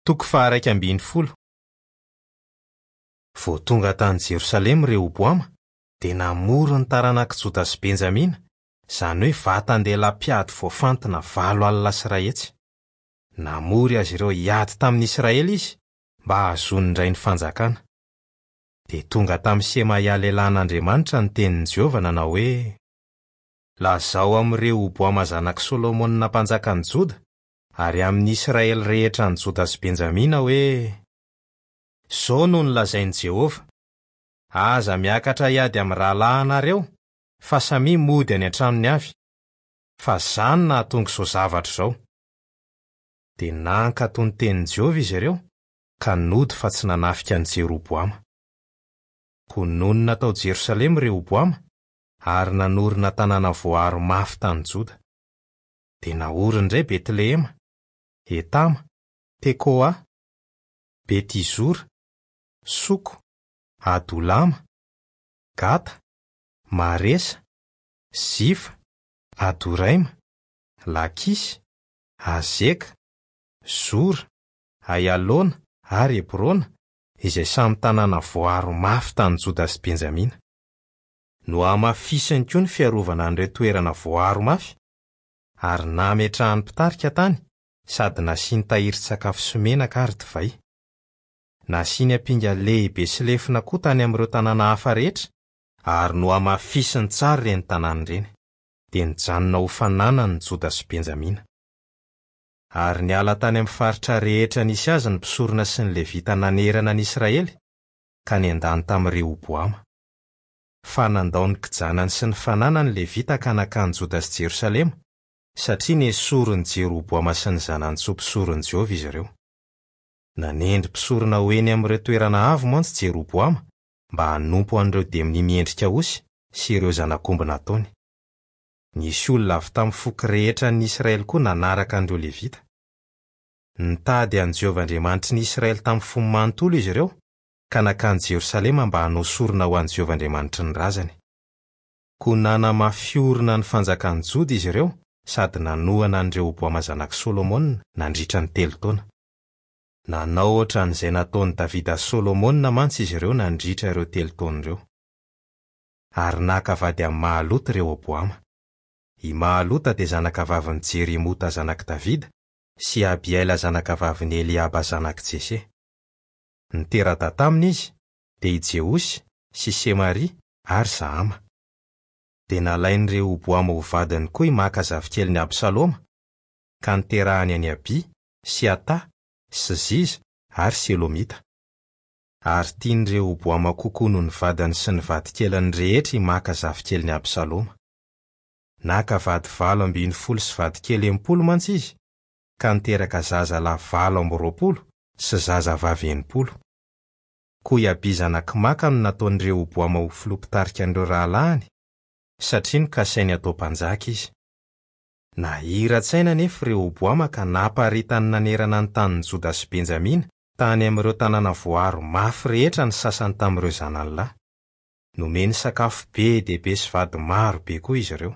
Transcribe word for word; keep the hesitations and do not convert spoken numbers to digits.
Toko faha-iraika ambin'ny folo. Vao tonga tany Jerosalema Rehoboama, dia namory ny taranak'i Joda sy Benjamina, izany hoe vatan-dehilahy mpiady voafantina valo alina sy iray hetsy. Namory azy ireo hiady tamin'ny Israely izy mba hahazoany indray ny fanjakana. Dia tonga tamin'i Semaia lehilahin'Andriamanitra ny tenin'i Jehovah nanao hoe: Lazao amin'i Rehoboama zanak'i Solomona mpanjakan'i Joda ary amin'ny Israely rehetra any Joda sy Benjamina hoe: Izao no nolazain'i Jehovah: Aza miakatra hiady amin'ny rahalahinareo, fa samia mody any an-tranony avy, fa izaho no nahatonga izao zavatra izao. Dia nankatò ny tenin'i Jehovah izy ireo, ka nody fa tsy nanafika an'i Jeroboama. Koa nonina tao Jerosalema Rehoboama ary nanorina tanàna voaaro mafy tany Joda. Dia naoriny indray Betlehema, Etama, Tekoa, Betizora, Soko, Adolama, Gata, Maresa, Zifa, Adoraima, Lakisy, Azeka, Zora, Aialona ary Hebrona, izay samy tanàna voaaro mafy tany Joda sy Benjamina. Nohamafisiny koa ny fiarovana an'ireo toerana voaaro mafy, ary nametrahany mpitarika tany sady nasiany tahirin-tsakafo sy menaka ary divay. Nasiany ampinga lehibe sy lefona koa tany amin'ireo tanàna hafa rehetra, ary nohamafisiny tsara ireny tanàna ireny. Dia nijanona ho fananany ny Joda sy Benjamina. Ary niala tany amin'ny faritra rehetra nisy azy ny mpisorona sy ny Levita nanerana ny Israely, ka niandany tamin'i Rehoboama. Fa nandao ny kijanany sy ny fananany ny Levita ka nankany Joda sy Jerosalema, satria nesorin'i Jeroboama sy ny zanany tsy ho mpisoron'i Jehovah izy ireo. Nanendry mpisorona ho eny amin'ireo toerana avo mantsy Jeroboama mba hanompo an'ireo demonia miendrika osy sy ireo zanak'omby nataony. Nisy olona avy tamin'ny foko rehetra ny Israely koa nanaraka an'ireo Levita. Nitady an'i Jehovah Andriamanitry ny Israely tamin'ny fony manontolo izy ireo, ka nankany Jerosalema mba hanao sorona ho an'i Jehovah Andriamanitry ny razany. Koa nanamafy orina ny fanjakan'i Joda izy ireo sady nanohana an'i Rehoboama zanak'i Solomona nandritra ny telo taona. Nanao ohatran'izay nataon'i Davida sy Solomona mantsy izy ireo nandritra ireo telo taona ireo. Ary naka vady amin'i Mahalota Rehoboama. I Mahalota dia zanakavavin'i Jerimota zanak'i Davida sy Abihaila zanakavavin'i Eliaba zanak'i Jese. Nitera-dahy taminy izy dia i Jeosy sy Semaria ary Zahama. Dia nalain'i Rehoboama ho vadiny koa i Maka zafikelin'i Absaloma, ka niterahany an'i Abia sy Ata sy Ziza ary Selomita. Ary tian'i Rehoboama kokoa noho ny vadiny sy ny vadikeliny rehetra i Maka zafikelin'i Absaloma. Naka vady valo ambin'ny folo sy vadikely enimpolo mantsy izy, ka niteraka zazalahy valo amby roapolo sy zazavavy enimpolo. Koa i Abia zanak'i Maka no nataon'i Rehoboama ho filoha mpitarika an'ireo rahalahiny, satria nokasainy hatao mpanjaka izy. Nahira-tsaina anefa Rehoboama ka naparitany nanerana ny tanin'i Joda sy Benjamina tany amin'ireo tanàna voaaro mafy rehetra ny sasany tamin'ireo zanany lahy. Nomeny sakafo be dia be sy vady maro be koa izy ireo.